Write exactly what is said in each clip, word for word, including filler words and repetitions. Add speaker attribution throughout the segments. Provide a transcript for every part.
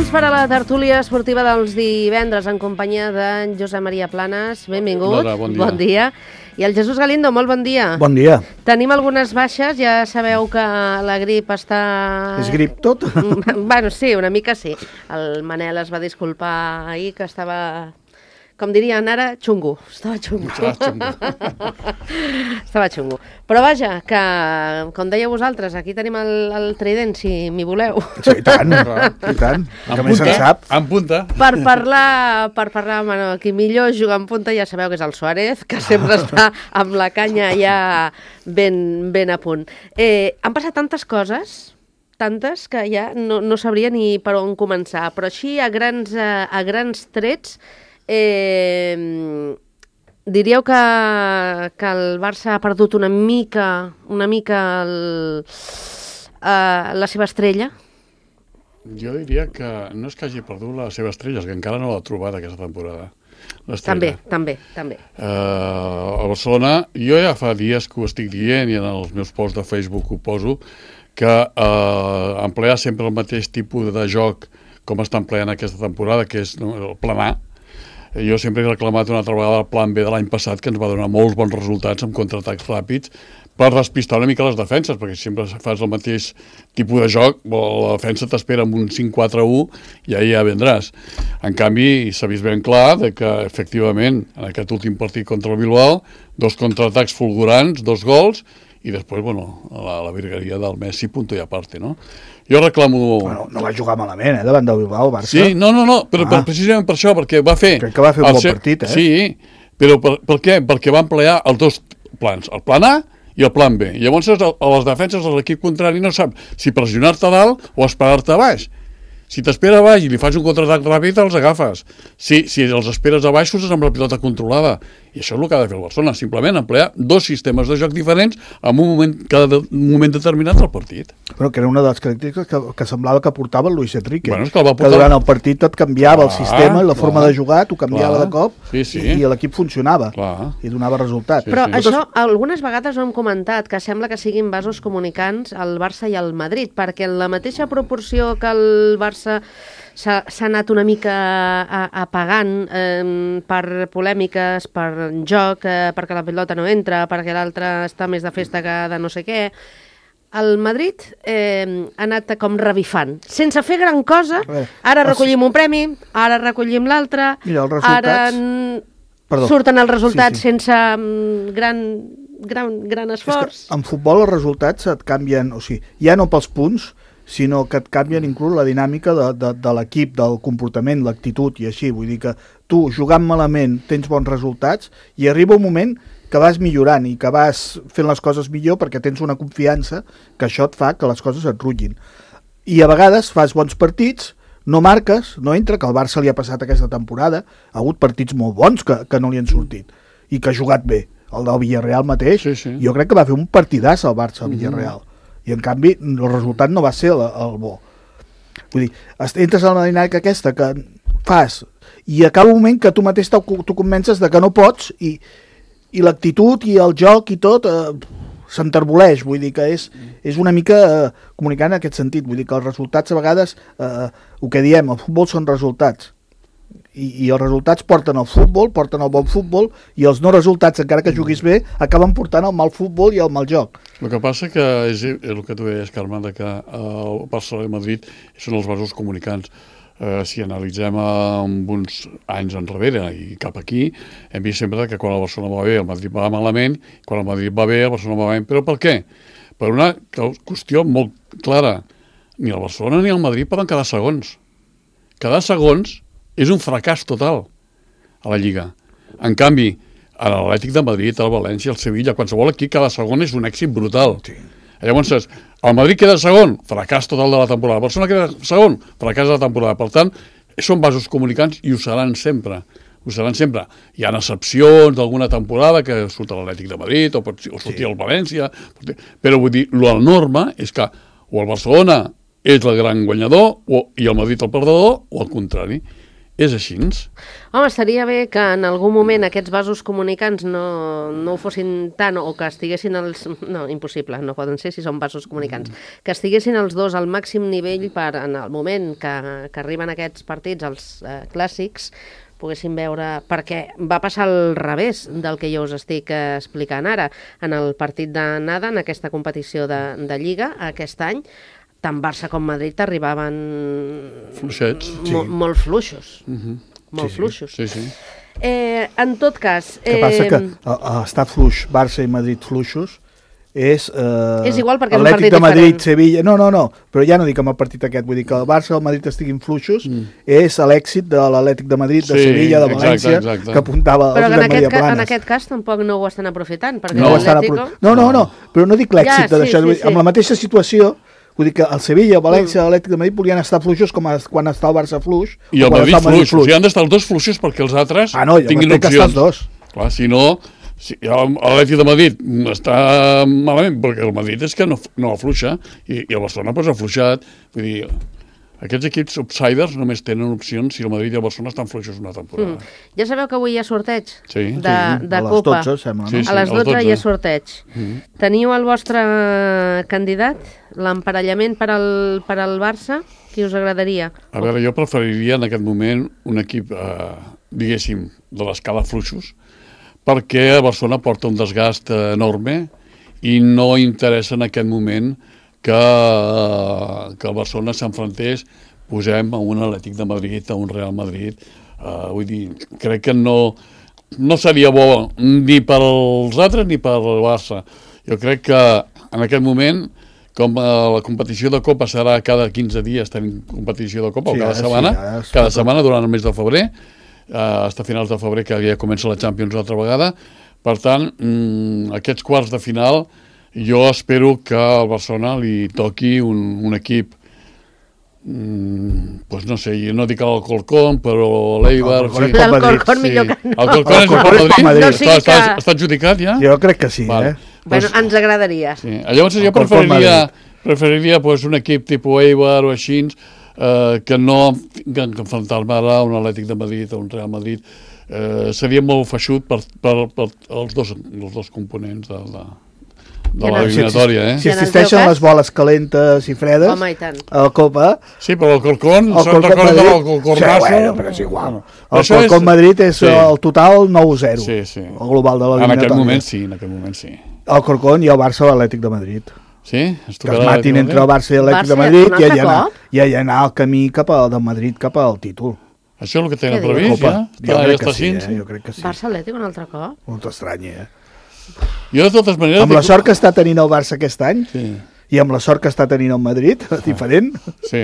Speaker 1: Temps per a la tertúlia esportiva dels divendres en companyia d'en Josep Maria Planes. Benvingut.
Speaker 2: Hola, bon dia.
Speaker 1: Bon dia. I el Jesús Galindo, molt bon dia.
Speaker 3: Bon dia.
Speaker 1: Tenim algunes baixes, ja sabeu que la grip està...
Speaker 3: És grip tot?
Speaker 1: Bueno, sí, una mica sí. El Manel es va disculpar ahir que estava... Com dirien ara, xungo. Estava xungo.
Speaker 2: Estava xungo.
Speaker 1: Estava xungo. Però vaja, que, com dèieu vosaltres, aquí tenim el, el trident, si m'hi voleu.
Speaker 3: Sí, i tant, i tant. Que més se'n sap.
Speaker 2: En punta.
Speaker 1: Per parlar, per parlar, bueno, qui millor juga en punta ja sabeu que és el Suárez, que sempre està amb la canya ja ben, ben a punt. Eh, han passat tantes coses, tantes, que ja no, no sabria ni per on començar. Però així, a grans, a grans trets, Eh, diríeu que, que el Barça ha perdut una mica, una mica el, uh, la seva estrella?
Speaker 2: Jo diria que no és que hagi perdut la seva estrella, és que encara no l'ha trobat aquesta temporada.
Speaker 1: També, també, també.
Speaker 2: Uh, a Barcelona, jo ja fa dies que ho estic dient i en els meus posts de Facebook ho poso, que uh, emplear sempre el mateix tipus de joc com està empleant aquesta temporada, que és no, el plan A. Jo sempre he reclamat una altra vegada el plan B de l'any passat, que ens va donar molts bons resultats amb contraatacs ràpids per despistar una mica les defenses, perquè si sempre fas el mateix tipus de joc, la defensa t'espera amb un cinc quatre u i ahir ja vendràs. En canvi, s'ha vist ben clar de que, efectivament, en aquest últim partit contra el Bilbao, dos contraatacs fulgurants, dos gols, i després, bueno, la, la virgueria del Messi, punto i aparte, no? Jo reclamo...
Speaker 3: Bueno, no va jugar malament, eh, davant del Bilbao, Barça.
Speaker 2: Sí, no, no, no, però
Speaker 3: ah.
Speaker 2: per, precisament per això, perquè va fer...
Speaker 3: Crec que va fer un bon
Speaker 2: seu...
Speaker 3: partit, eh?
Speaker 2: Sí, però per, per què? Perquè va emplear els dos plans, el plan A i el plan B. Llavors, a les defenses de l'equip contrari no sap si pressionar-te dalt o esperar-te a baix. Si t'espera a baix i li fas un contraatac ràpid, els agafes. Si, si els esperes a baix, surts amb la pilota controlada. I això és el que ha de fer el Barcelona, simplement emplear dos sistemes de joc diferents en un moment, cada moment determinat del partit.
Speaker 3: Però que era una de les característiques que, que semblava que portava el Luis Enrique.
Speaker 2: Bueno, és que, el va portar...
Speaker 3: que durant el partit et canviava clar, el sistema i la
Speaker 2: clar,
Speaker 3: forma de jugar, t'ho canviava
Speaker 2: clar,
Speaker 3: de cop
Speaker 2: sí, sí.
Speaker 3: i, i l'equip funcionava
Speaker 2: clar.
Speaker 3: I donava resultats.
Speaker 2: Sí,
Speaker 1: Però
Speaker 2: sí.
Speaker 1: això, algunes vegades ho hem comentat, que sembla que siguin vasos comunicants el Barça i el Madrid, perquè en la mateixa proporció que el Barça s'ha anat una mica apagant eh, per polèmiques, per joc, eh, perquè la pilota no entra, perquè l'altre està més de festa que de no sé què. El Madrid eh, ha anat com revifant, sense fer gran cosa. Ara recollim un premi, ara recollim l'altre, ara
Speaker 3: Perdó.
Speaker 1: surten els resultats
Speaker 3: sí, sí.
Speaker 1: sense gran, gran, gran esforç.
Speaker 3: En futbol els resultats et canvien, o sigui, ja no pels punts, sinó que et canvien inclús la dinàmica de, de, de l'equip, del comportament, l'actitud i així. Vull dir que tu, jugant malament, tens bons resultats i arriba un moment que vas millorant i que vas fent les coses millor perquè tens una confiança que això et fa que les coses et rutllin. I a vegades fas bons partits, no marques, no entra, que al Barça li ha passat aquesta temporada, ha hagut partits molt bons que, que no li han sortit i que ha jugat bé. El del Villarreal mateix,
Speaker 2: sí, sí.
Speaker 3: jo crec que va fer un partidàs al Barça al Villarreal. Mm-hmm. I en canvi el resultat no va ser el, el bo. Vull dir, entres a la dinàmica aquesta que fas i acaba un moment que tu mateix t'ho convences de que no pots i, i l'actitud i el joc i tot eh, s'enterboleix, vull dir que és, és una mica eh, comunicant en aquest sentit, vull dir que els resultats a vegades, eh, el que diem, el futbol són resultats. I, i els resultats porten al futbol, porten al bon futbol, i els no resultats, encara que juguis bé, acaben portant al mal futbol i al mal joc.
Speaker 2: El que passa que és, és el que tu deies, Carme, de que el Barcelona i Madrid són els vasos comunicants. Eh, si analitzem amb uns anys enrere i cap aquí, hem vist sempre que quan el Barcelona va bé, el Madrid va malament, quan el Madrid va bé, el Barcelona va bé. Però per què? Per una qüestió molt clara. Ni el Barcelona ni el Madrid poden quedar segons. Quedar segons és un fracàs total a la Lliga. En canvi, a l'Atlètic de Madrid, al València, al Sevilla, qualsevol equip cada segon és un èxit brutal. Sí. Llavors, el Madrid queda segon, fracàs total de la temporada. El Barcelona queda segon, fracàs de la temporada. Per tant, són vasos comunicants i ho seran sempre. Ho seran sempre. Hi ha excepcions d'alguna temporada que surt l'Atlètic de Madrid o, pot, o sortir sí. el València, però vull dir, la norma és que o el Barcelona és el gran guanyador o, i el Madrid el perdedor o el contrari. És així?
Speaker 1: Home, estaria bé que en algun moment aquests vasos comunicants no, no ho fossin tant, o que estiguessin els... No, impossible, no poden ser si són vasos comunicants. Mm. Que estiguessin els dos al màxim nivell per, en el moment que, que arriben aquests partits, els eh, clàssics, poguessin veure... Perquè va passar al revés del que jo us estic eh, explicant ara. En el partit d'anada, en aquesta competició de, de Lliga, aquest any, tant Barça com Madrid arribaven
Speaker 2: fluixets,
Speaker 1: sí. mo molt fluixos. Uh-huh. Molt
Speaker 2: sí,
Speaker 1: fluixos.
Speaker 2: Sí, sí.
Speaker 1: Eh, en tot cas...
Speaker 3: El que
Speaker 1: eh,
Speaker 3: passa que estar fluix, Barça i Madrid fluixos, és... Eh,
Speaker 1: és igual perquè és un
Speaker 3: Atlètic
Speaker 1: partit
Speaker 3: de Madrid,
Speaker 1: diferent.
Speaker 3: Sevilla... No, no, no, però ja no dic amb el partit aquest, vull dir que el Barça i el Madrid estiguin fluixos, mm. és l'èxit de l'Atlètic de Madrid, de
Speaker 2: sí,
Speaker 3: Sevilla, de València,
Speaker 2: exacte, exacte.
Speaker 3: que apuntava
Speaker 1: però
Speaker 3: el
Speaker 1: en
Speaker 3: Josep
Speaker 1: aquest,
Speaker 3: Maria
Speaker 1: ca,
Speaker 3: Planes.
Speaker 1: en aquest cas tampoc no ho estan aprofitant, perquè
Speaker 3: No,
Speaker 1: l'Atlético...
Speaker 3: no, no, no, però no dic l'èxit
Speaker 1: Ja,
Speaker 3: de deixar...
Speaker 1: sí, sí, sí.
Speaker 3: Amb la mateixa situació, vull dir que el Sevilla, el València, mm. l'Atlètic de Madrid volien estar fluixos com a, quan està el Barça fluix.
Speaker 2: I el Madrid,
Speaker 3: Madrid
Speaker 2: fluix. fluix. O sigui, han d'estar els dos fluixos perquè els altres
Speaker 3: ah, no,
Speaker 2: tinguin opcions.
Speaker 3: Que els dos.
Speaker 2: Clar, si no, si l'Atlètic de Madrid està malament, perquè el Madrid és que no, no afluixa, i, i el Barcelona pues, ha afluixat. Vull dir, aquests equips outsiders només tenen opcions si el Madrid i el Barcelona estan fluixos una temporada.
Speaker 1: Mm. Ja sabeu que avui hi ha sorteig
Speaker 2: sí,
Speaker 1: de,
Speaker 2: sí.
Speaker 1: de
Speaker 3: a les
Speaker 1: Copa.
Speaker 3: dotze, sembla, no?
Speaker 2: Sí, sí,
Speaker 1: a les dotze, dotze hi ha sorteig.
Speaker 2: Mm.
Speaker 1: Teniu el vostre candidat, l'emparellament per al, per al Barça? Qui us agradaria?
Speaker 2: A veure, jo preferiria en aquest moment un equip, eh, diguéssim, de l'escala fluixos, perquè Barcelona porta un desgast enorme i no interessa en aquest moment que, que el Barcelona s'enfrontés, posem a un Atlètic de Madrid, a un Real Madrid. Uh, vull dir, crec que no, no seria bo ni per als altres ni per al Barça. Jo crec que en aquest moment, com uh, la competició de Copa serà cada quinze dies, tenim competició de Copa, sí, o cada setmana, sí, cada setmana durant el mes de febrer, uh, fins a finals de febrer, que ja comença la Champions una altra vegada. Per tant, mm, aquests quarts de final, jo espero que al Barcelona li toqui un, un equip Mm, pues no sé, jo no dic el Alcorcón, però l'Eibar...
Speaker 1: Sí. L'Alcorcón millor que no.
Speaker 2: El Alcorcón és per Madrid?
Speaker 1: Madrid. No,
Speaker 2: sí està, està, que... està adjudicat ja?
Speaker 3: Jo crec que sí,
Speaker 2: vale.
Speaker 3: eh?
Speaker 1: Bueno, pues, ens agradaria.
Speaker 2: Sí. Llavors jo preferiria, preferiria pues, un equip tipus Eibar o així, eh, que no que enfrontar-me ara a un Atlètic de Madrid o un Real Madrid. Eh, seria molt feixut per, per, per els, dos, els dos components de la... de l'eliminatòria, eh?
Speaker 3: Si existeixen les boles calentes i fredes,
Speaker 1: home, i tant.
Speaker 3: a la Copa...
Speaker 2: Sí, però el Corcón, se'n recorda del Corconazo...
Speaker 3: Sí, bueno, però és igual. El Corcón Madrid és sí. el total nou zero,
Speaker 2: sí, sí.
Speaker 3: el global de l'eliminatòria.
Speaker 2: En aquest moment sí, en aquest moment sí.
Speaker 3: El Corcón i el Barça a l'Atlètic de Madrid.
Speaker 2: Sí?
Speaker 3: Que es matin entre el Barça i l'Atlètic de Madrid i allà anar, i allà anar el camí cap al de Madrid cap al títol.
Speaker 2: Això és el que tenen previst, ja?
Speaker 3: Jo crec que sí, eh? Jo crec que sí.
Speaker 1: Barça-Atlètic un altre cop?
Speaker 3: Molt estrany, eh?
Speaker 2: Jo, de totes maneres...
Speaker 3: Amb la sort que està tenint el Barça aquest any,
Speaker 2: sí.
Speaker 3: i amb la sort que està tenint el Madrid, diferent,
Speaker 2: sí.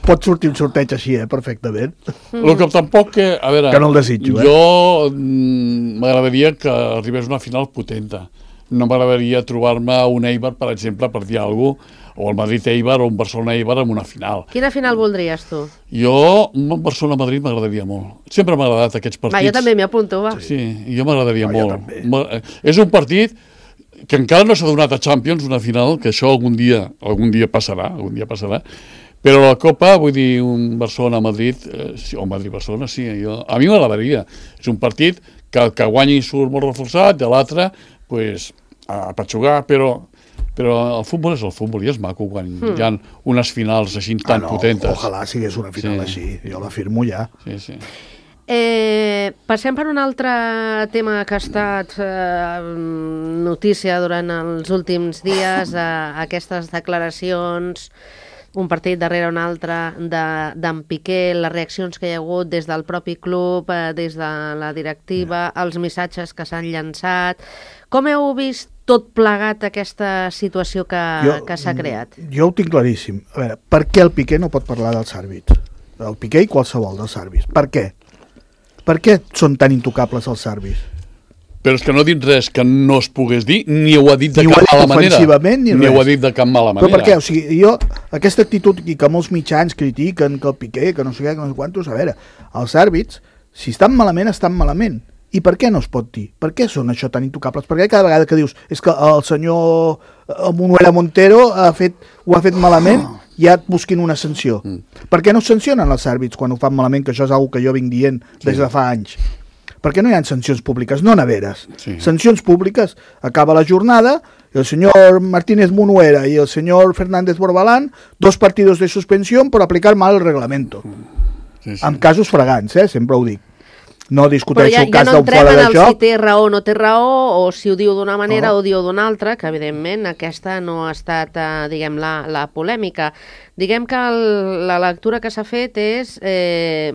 Speaker 3: pot sortir un sorteig així, eh, perfectament.
Speaker 2: Mm. El que tampoc que... A veure,
Speaker 3: que no el desitjo, eh?
Speaker 2: Jo mm, m'agradaria que arribés una final potenta. No m'agradaria trobar-me un Eibar, per exemple, per dir alguna cosa, o el Madrid-Eibar o un Barcelona-Eibar en una final.
Speaker 1: Quina final voldries, tu?
Speaker 2: Jo, un Barcelona-Madrid m'agradaria molt. Sempre m'ha agradat aquests partits.
Speaker 1: Va, jo també m'hi apunto, va.
Speaker 2: Sí, sí, jo m'agradaria
Speaker 3: no,
Speaker 2: molt. És un partit que encara no s'ha donat a Champions, una final, que això algun dia, algun dia passarà, algun dia passarà, però la Copa, vull dir, un Barcelona-Madrid, eh, o Madrid-Barcelona, sí, jo, a mi m'agradaria. És un partit que el que guanyi surt molt reforçat, i l'altre, pues, a patxugar, però... Però el futbol és el futbol i és maco quan mm. hi ha unes finals així tan ah, no, potentes.
Speaker 3: Ojalà sigués una final sí. així, jo l'afirmo ja.
Speaker 2: Sí, sí.
Speaker 1: Eh, passem per un altre tema que ha estat eh, notícia durant els últims dies, eh, aquestes declaracions, un partit darrere un altre d'en Piqué, les reaccions que hi ha hagut des del propi club, eh, des de la directiva, els missatges que s'han llançat. Com heu vist tot plegat aquesta situació que, que s'ha creat?
Speaker 3: Jo ho tinc claríssim. A veure, per què el Piqué no pot parlar dels àrbits? El Piqué i qualsevol dels àrbits. Per què? Per què són tan intocables els àrbits?
Speaker 2: Però és que no ha dit res que no es pogués dir, ni ho ha dit de
Speaker 3: ni
Speaker 2: cap mala manera.
Speaker 3: Ni,
Speaker 2: ni ho ha dit de cap mala manera.
Speaker 3: Però per què? O sigui, jo, aquesta actitud i que molts mitjans critiquen que el Piqué, que no sé què, que no sé quantos, a veure, els àrbits, si estan malament, estan malament. I per què no es pot dir? Per què són això tan intocables? Perquè cada vegada que dius és que el senyor Manuel Montero ha fet, ho ha fet malament, ja et busquin una sanció. Mm. Per què no sancionen els àrbits quan ho fan malament, que això és una que jo vinc dient des de fa anys? Per què no hi ha sancions públiques? No neveres. Sí. Sancions públiques. Acaba la jornada, el senyor Martínez Munuera i el senyor Fernández Borbalán, dos partidos de suspensión por aplicar mal el reglamento. Sí, sí. En casos fragants, eh? Sempre ho dic. No discuteixo ja, el cas ja no d'un fora de joc. Però ja no entrem en el
Speaker 1: si té raó o no té raó, o si ho diu d'una manera no. o diu d'una altra, que evidentment aquesta no ha estat, eh, diguem, la, la polèmica. Diguem que el, la lectura que s'ha fet és eh,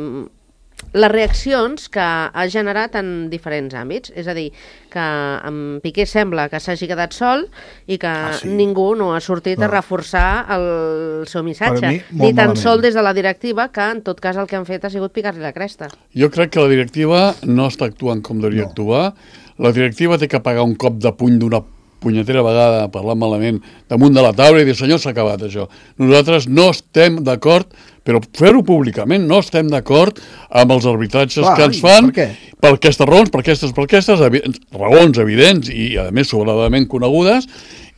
Speaker 1: les reaccions que ha generat en diferents àmbits. És a dir, que en Piqué sembla que s'hagi quedat sol i que ah, sí? ningú no ha sortit no. a reforçar el seu missatge. Mi, Ni tan malament. Sol des de la directiva, que en tot cas el que han fet ha sigut picar-li la cresta.
Speaker 2: Jo crec que la directiva no està actuant com devia no. actuar. La directiva té que pagar un cop de puny d'una punyetera vegada, parlant malament, damunt de la taula i dir, senyor, s'ha acabat això. Nosaltres no estem d'acord, però fer-ho públicament, no estem d'acord amb els arbitratges Clar, que ens fan per, per aquestes raons, per aquestes, per aquestes evi raons evidents i, a més, sobradament conegudes,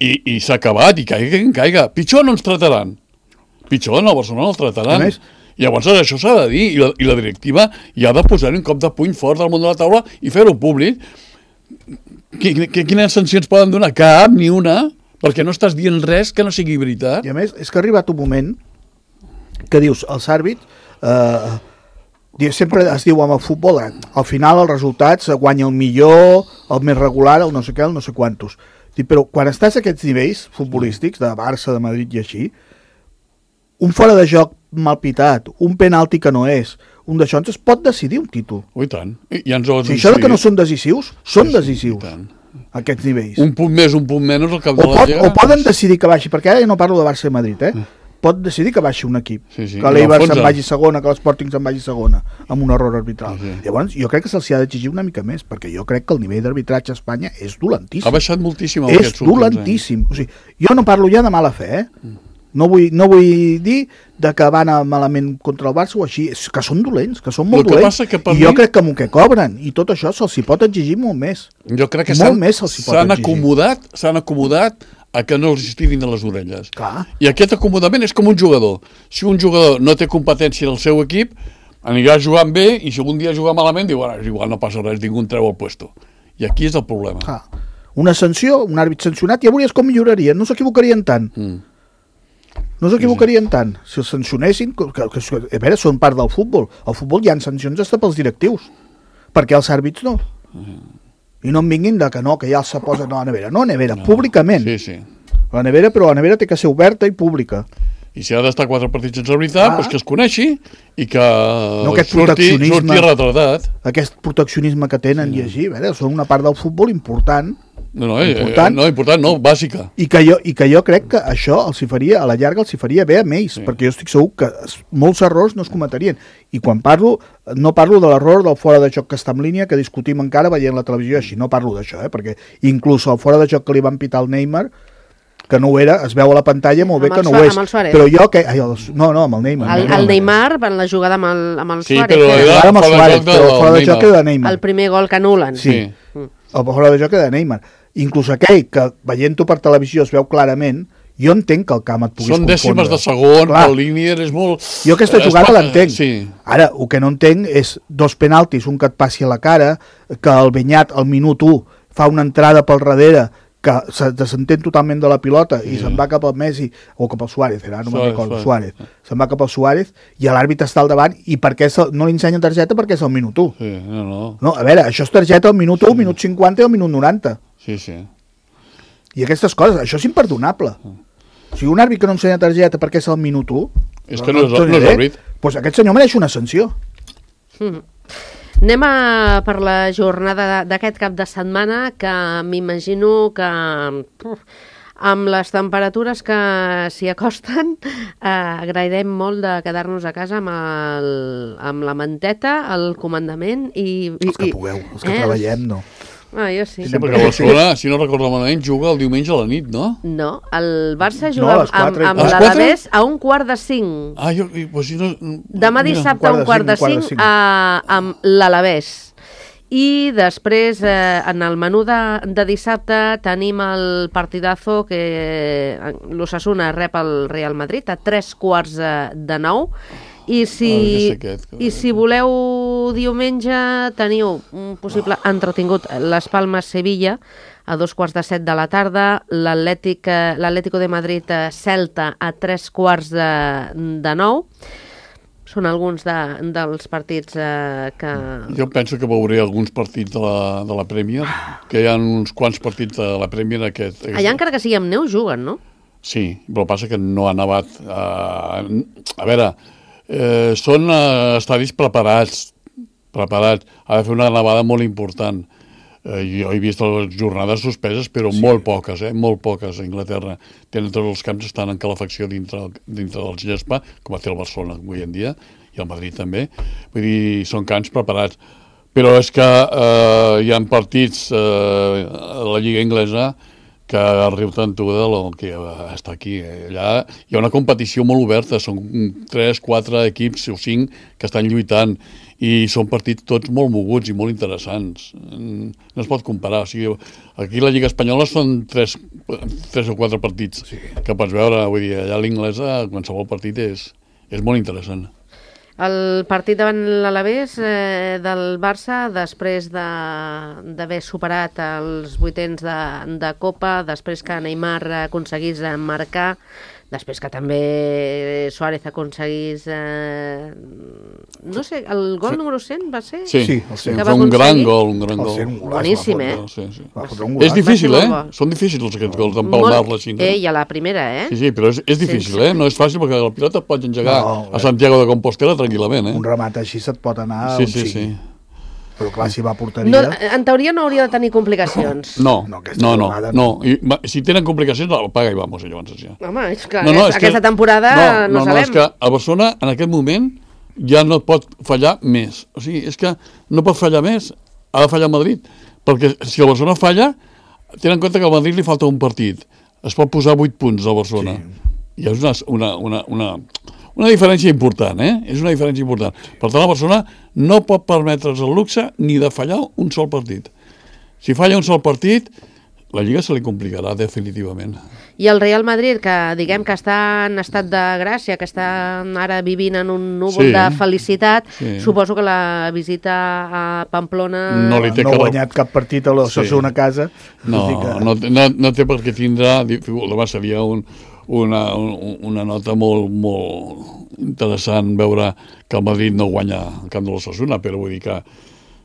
Speaker 2: i, i s'ha acabat, i caiga qui caiga. Pitjor no ens trataran. Pitjor no, a Barcelona el trataran. Més, llavors això s'ha de dir, i la, i la directiva hi ha de posar un cop de puny fort al món de la taula i fer-ho públic. Quines sancions poden donar? Cap, ni una, perquè no estàs dient res que no sigui veritat.
Speaker 3: I a més, és que ha arribat un moment que dius, els àrbits, eh, sempre es diu amb el futbol, eh, al final els resultats guanya el millor, el més regular, el no sé què, el no sé quantos. Però quan estàs a aquests nivells futbolístics, de Barça, de Madrid i així, un fora de joc mal pitat, un penalti que no és, un d'això es pot decidir un títol.
Speaker 2: Oh, i tant. I ja ens ho
Speaker 3: si això que no són decisius, són sí, decisius a aquests nivells.
Speaker 2: Un punt més, un punt menys al cap
Speaker 3: o
Speaker 2: de la
Speaker 3: Lliga. O poden decidir que baixi, perquè ara ja no parlo de Barça i Madrid, eh? Pot decidir que baixi un equip, sí, sí. que l'Eibar se'n vagi segona, que l'Sporting se'n vagi segona, amb un error arbitral. Sí, sí. Llavors, jo crec que se'ls ha d'exigir una mica més, perquè jo crec que el nivell d'arbitratge a Espanya és dolentíssim.
Speaker 2: Ha baixat moltíssim.
Speaker 3: És dolentíssim. O sigui, jo no parlo ja de mala fe, eh? Mm. No vull, no vull dir de que van a malament contra el Barça o així, és que són dolents, que són molt que dolents, i jo mi... crec que amb el que cobren i tot això se'ls hi pot exigir molt més.
Speaker 2: Jo crec que s'han acomodat, s'han acomodat a que no els estirin de les orelles.
Speaker 3: Clar.
Speaker 2: I aquest acomodament és com un jugador. Si un jugador no té competència en el seu equip, anirà jugant bé i si algun dia juga malament, diu, bueno, igual no passa res, ningú en treu el puesto. I aquí és el problema.
Speaker 3: Clar. Una sanció, un àrbit sancionat, ja veuries com milloraria, no s'equivocarien tant. Mm. No s'equivocarien tant. Si els sancionessin, que, que, que, a veure, són part del futbol. Al futbol hi ha sancions hasta pels directius. Perquè els àrbits no. I no em vinguin de que no, que ja se posen a la nevera. No, a nevera, no. Públicament.
Speaker 2: Sí, sí.
Speaker 3: La nevera, però la nevera té que ser oberta i pública.
Speaker 2: I si ha d'estar quatre partits sense veritat, ah. doncs que es coneixi i que
Speaker 3: no,
Speaker 2: surti, surti retratat.
Speaker 3: Aquest proteccionisme que tenen sí. i així, a veure, són una part del futbol important.
Speaker 2: No, no, important, no, important, no, bàsica.
Speaker 3: I que, jo, I que jo crec que això els hi faria, a la llarga els hi faria bé a ells, sí. perquè jo estic segur que molts errors no es cometerien. I quan parlo, no parlo de l'error del fora de joc que està en línia, que discutim encara veient la televisió així, no parlo d'això, eh, perquè inclús el fora de joc que li van pitar al Neymar, que no ho era, es veu a la pantalla molt bé que no ho és. Però jo que... Ai, el, no, no, amb el Neymar.
Speaker 1: El, el Neymar va en la jugada amb el, amb el
Speaker 2: sí,
Speaker 1: Suárez.
Speaker 2: Però
Speaker 1: eh?
Speaker 2: era
Speaker 3: amb el Suárez, però el fora de joc era de Neymar.
Speaker 1: El primer gol que anulen.
Speaker 3: Sí, sí. El fora de joc era de Neymar. Inclús aquell que veient-ho per televisió es veu clarament, jo entenc que el camp et puguis
Speaker 2: Són
Speaker 3: confondre.
Speaker 2: Són dècimes de segon, Clar. El línier és molt...
Speaker 3: Jo aquesta jugada l'entenc.
Speaker 2: Sí.
Speaker 3: Ara, el que no entenc és dos penaltis, un que et passi a la cara, que el Beñat al minut u fa una entrada pel darrere, que se desentén totalment de la pilota i sí. se'n va cap al Messi, o cap al Suárez, era, no me'n recordo, Suárez. Se'n va cap al Suárez i l'àrbitre està al davant i per què no li ensenya targeta perquè és al minut u.
Speaker 2: Sí, no, no.
Speaker 3: No, a veure, això és targeta al minut u, sí. minut cinquanta i al minut noranta.
Speaker 2: Sí, sí.
Speaker 3: I aquestes coses, això és imperdonable. O sigui, un àrbit que no ensenya targeta perquè és al minut u...
Speaker 2: És que no, no, no és àrbit.
Speaker 3: Doncs aquest senyor mereix una sanció.
Speaker 1: Mm. Anem a per la jornada d'aquest cap de setmana, que m'imagino que uf, amb les temperatures que s'hi acosten eh, agrairem molt de quedar-nos a casa amb, el, amb la manteta, el comandament i... i
Speaker 3: els que pugueu, els que eh? treballem, no.
Speaker 1: Ah, jo sí.
Speaker 2: Sí, perquè Barcelona, si no recordo malament, juga el diumenge a la nit, no?
Speaker 1: No, el Barça juga
Speaker 3: no,
Speaker 1: amb, amb l'Alavés a un quart de cinc.
Speaker 2: Ah, jo... Pues si no...
Speaker 1: Demà dissabte a un quart de cinc, cinc a, amb l'Alavés. I després, eh, en el menú de, de dissabte, tenim el partidazo que l'Osasuna rep el Real Madrid a tres quarts de, de nou. I si,
Speaker 2: Ah, aquest, que-
Speaker 1: I si voleu diumenge, teniu un possible entretingut Les Palmes-Sevilla a dos quarts de set de la tarda, l'Atlètic, eh, l'Atlético de Madrid-Celta a tres quarts de, de nou. Són alguns de, dels partits eh, que...
Speaker 2: Jo penso que veuré alguns partits de la, de la Premier, que hi ha uns quants partits de la Premier aquest... aquest...
Speaker 1: Allà, encara que sigui amb neu, juguen, no?
Speaker 2: Sí, però passa que no ha nevat. Uh, a veure, eh, són uh, estadis preparats, preparats. Ha de fer una nevada molt important. Eh, jo he vist les jornades suspeses, però sí. molt poques, eh? molt poques a Anglaterra. Tenen tots els camps, estan en calefacció dintre, dintre del gespa, com té el Barcelona avui en dia, i el Madrid també. Vull dir, són camps preparats. Però és que eh, hi ha partits eh, a la Lliga Inglesa que riu tant tu del que està aquí. Allà hi ha una competició molt oberta, són tres, quatre equips o cinc que estan lluitant i són partits tots molt moguts i molt interessants. No es pot comparar. O sigui, aquí a la Lliga Espanyola són tres, tres o quatre partits sí. que pots veure. Vull dir, allà a l'Inglesa qualsevol partit és, és molt interessant.
Speaker 1: El partit davant l'Alavés eh, del Barça, després d'haver de, superat els vuitens de, de Copa, després que Neymar aconseguís marcar, després que també Suárez aconseguís... Eh, no sé, el gol número cent va ser?
Speaker 2: Sí, sí,
Speaker 3: el cent.
Speaker 2: Va un gran gol, un gran gol.
Speaker 3: cent, un
Speaker 1: boníssim, eh?
Speaker 2: Sí, sí.
Speaker 3: És
Speaker 2: difícil, eh? Són difícils aquests gols d'empalmar-la així.
Speaker 1: Eh, i a la primera, eh?
Speaker 2: Sí, sí, però és, és difícil, sí, sí. eh? No és fàcil perquè la pilota pots engegar
Speaker 3: no,
Speaker 2: a Santiago de Compostela tranquil·lament, eh?
Speaker 3: Un remat així se't pot anar
Speaker 2: sí,
Speaker 3: on
Speaker 2: sí,
Speaker 3: sigui.
Speaker 2: sí.
Speaker 3: Però clar, si va a porteria...
Speaker 1: No, en teoria no hauria de tenir complicacions.
Speaker 2: No,
Speaker 3: no,
Speaker 2: no, no,
Speaker 3: jugada,
Speaker 2: no. I, si tenen complicacions, apaga i vamos, llavors. Ja.
Speaker 1: Home, és clar,
Speaker 2: no, no,
Speaker 1: és,
Speaker 2: és
Speaker 1: aquesta
Speaker 2: que,
Speaker 1: temporada
Speaker 2: no,
Speaker 1: no,
Speaker 2: no,
Speaker 1: sabem.
Speaker 2: No, és que a Barcelona, en aquest moment, ja no pot fallar més. O sigui, és que no pot fallar més, ha de fallar el Madrid. Perquè si el Barcelona falla, tenen en compte que al Madrid li falta un partit. Es pot posar vuit punts al Barcelona. Sí. I és una, una, una, una, una diferència important, eh? És una diferència important. Per tant, la Barcelona no pot permetre's el luxe ni de fallar un sol partit. Si falla un sol partit, la Lliga se li complicarà definitivament.
Speaker 1: I el Real Madrid, que diguem que està en estat de gràcia, que està ara vivint en un núvol
Speaker 2: sí,
Speaker 1: de felicitat,
Speaker 2: sí.
Speaker 1: suposo que la visita a Pamplona...
Speaker 3: No, li té no ha guanyat cap partit a l'Osasuna sí. a casa.
Speaker 2: No, que... no, no, no té per què tindrà... Seria un, una, una nota molt, molt interessant veure que el Madrid no guanya el camp de l'Osasuna, però vull dir que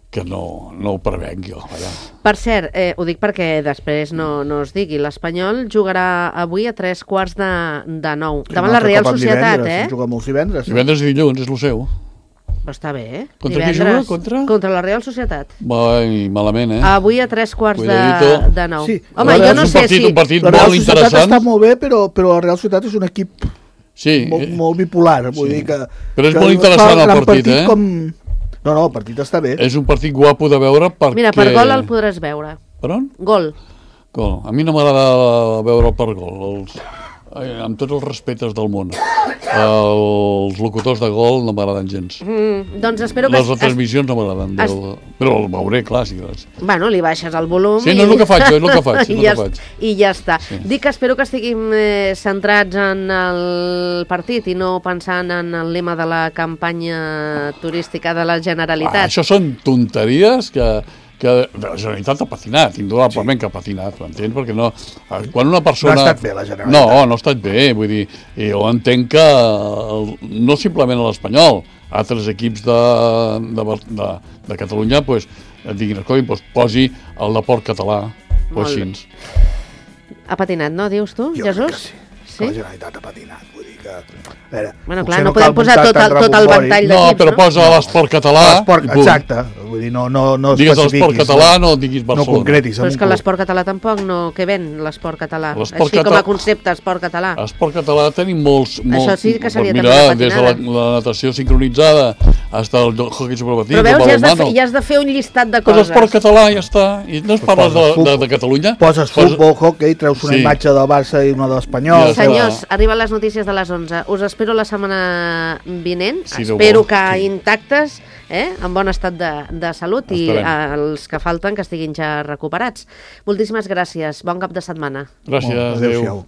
Speaker 2: que no, no ho prevenc jo. Allà.
Speaker 1: Per cert, eh, ho dic perquè després no, no es digui, l'Espanyol jugarà avui a tres quarts de, de nou, sí, davant la Real Societat,
Speaker 3: divendres,
Speaker 1: eh?
Speaker 3: Juga molts divendres.
Speaker 2: Divendres i dilluns, és el seu.
Speaker 1: Però està bé, eh?
Speaker 2: Contra
Speaker 1: divendres,
Speaker 2: qui juga? Contra?
Speaker 1: Contra la Real Societat.
Speaker 2: Vai, malament, eh?
Speaker 1: Avui a tres quarts de, de nou.
Speaker 3: Sí.
Speaker 1: Home, jo no sé
Speaker 2: partit,
Speaker 1: si...
Speaker 2: Un partit
Speaker 3: la Real
Speaker 2: molt
Speaker 3: Societat
Speaker 2: interessant.
Speaker 3: està molt bé, però, però la Real Societat és un equip
Speaker 2: sí,
Speaker 3: molt, molt bipolar. Vull
Speaker 2: sí.
Speaker 3: dir que,
Speaker 2: però és
Speaker 3: que
Speaker 2: molt interessant el partit,
Speaker 3: partit
Speaker 2: eh?
Speaker 3: Com... No, no, el partit està bé.
Speaker 2: És un partit guapo de veure perquè...
Speaker 1: Mira, per gol el podràs veure.
Speaker 2: Per on?
Speaker 1: Gol.
Speaker 2: Gol. A mi no m'agrada veure'l per gol. Els... amb tots els respectes del món. Els locutors de gol no m'agraden gens.
Speaker 1: Mm, doncs espero que...
Speaker 2: Les retransmissions no m'agraden.
Speaker 1: Es...
Speaker 2: Del... Però el veuré, clar. Sí,
Speaker 1: bueno, li baixes el volum...
Speaker 2: Sí,
Speaker 1: i...
Speaker 2: no és el que faig, és el que faig. És
Speaker 1: I,
Speaker 2: el
Speaker 1: ja,
Speaker 2: que faig.
Speaker 1: I ja està.
Speaker 2: Sí.
Speaker 1: Dic que espero que estiguin eh, centrats en el partit i no pensant en el lema de la campanya turística de la Generalitat.
Speaker 2: Ah, això són tonteries que... que la Generalitat ha patinat, indudablement sí. que ha patinat, m'entens? Perquè no... Quan una persona...
Speaker 3: No ha estat bé, la Generalitat.
Speaker 2: No, no ha estat bé, vull dir, jo entenc que el, no simplement a l'Espanyol, altres equips de, de, de, de Catalunya, pues, diguin, escolta, pues, posi el deport català, pues, així.
Speaker 1: Ha patinat, no, dius tu,
Speaker 3: jo
Speaker 1: Jesús?
Speaker 3: Jo crec que sí, sí, que la Generalitat ha patinat, vull dir que... A veure,
Speaker 1: bueno, clar, no podem posar tot el, tot el ventall d'equips,
Speaker 2: no? Però posa l'esport català...
Speaker 3: Exacte, vull dir, no, no, no
Speaker 2: digues l'esport català, no diguis Barcelona.
Speaker 3: No concretis.
Speaker 1: Però és que l'esport català tampoc no... Què ven, l'esport català? Així
Speaker 2: català,
Speaker 1: com a concepte, esport català.
Speaker 2: L'esport català tenim molts... molts
Speaker 1: Això sí que s'havia
Speaker 2: de
Speaker 1: patinada.
Speaker 2: Des de la, la natació sincronitzada fins al hockey sobre patins,
Speaker 1: però veus, ja has, de fer, ja has de fer un llistat de coses.
Speaker 2: L'esport català ja està. I no es parles de, de, de Catalunya?
Speaker 3: Poses futbol, hockey, treus una
Speaker 2: sí.
Speaker 3: imatge del Barça i una de l'Espanyol.
Speaker 1: Ja senyors, arriben les notícies de les onze. Us espero la setmana vinent.
Speaker 2: Sí,
Speaker 1: espero que
Speaker 2: sí.
Speaker 1: intactes eh? En bon estat de, de salut i
Speaker 2: Estarem.
Speaker 1: els que falten que estiguin ja recuperats. Moltíssimes gràcies. Bon cap de setmana.
Speaker 2: Gràcies,
Speaker 3: Molt,
Speaker 2: adéu.
Speaker 3: adéu-siau.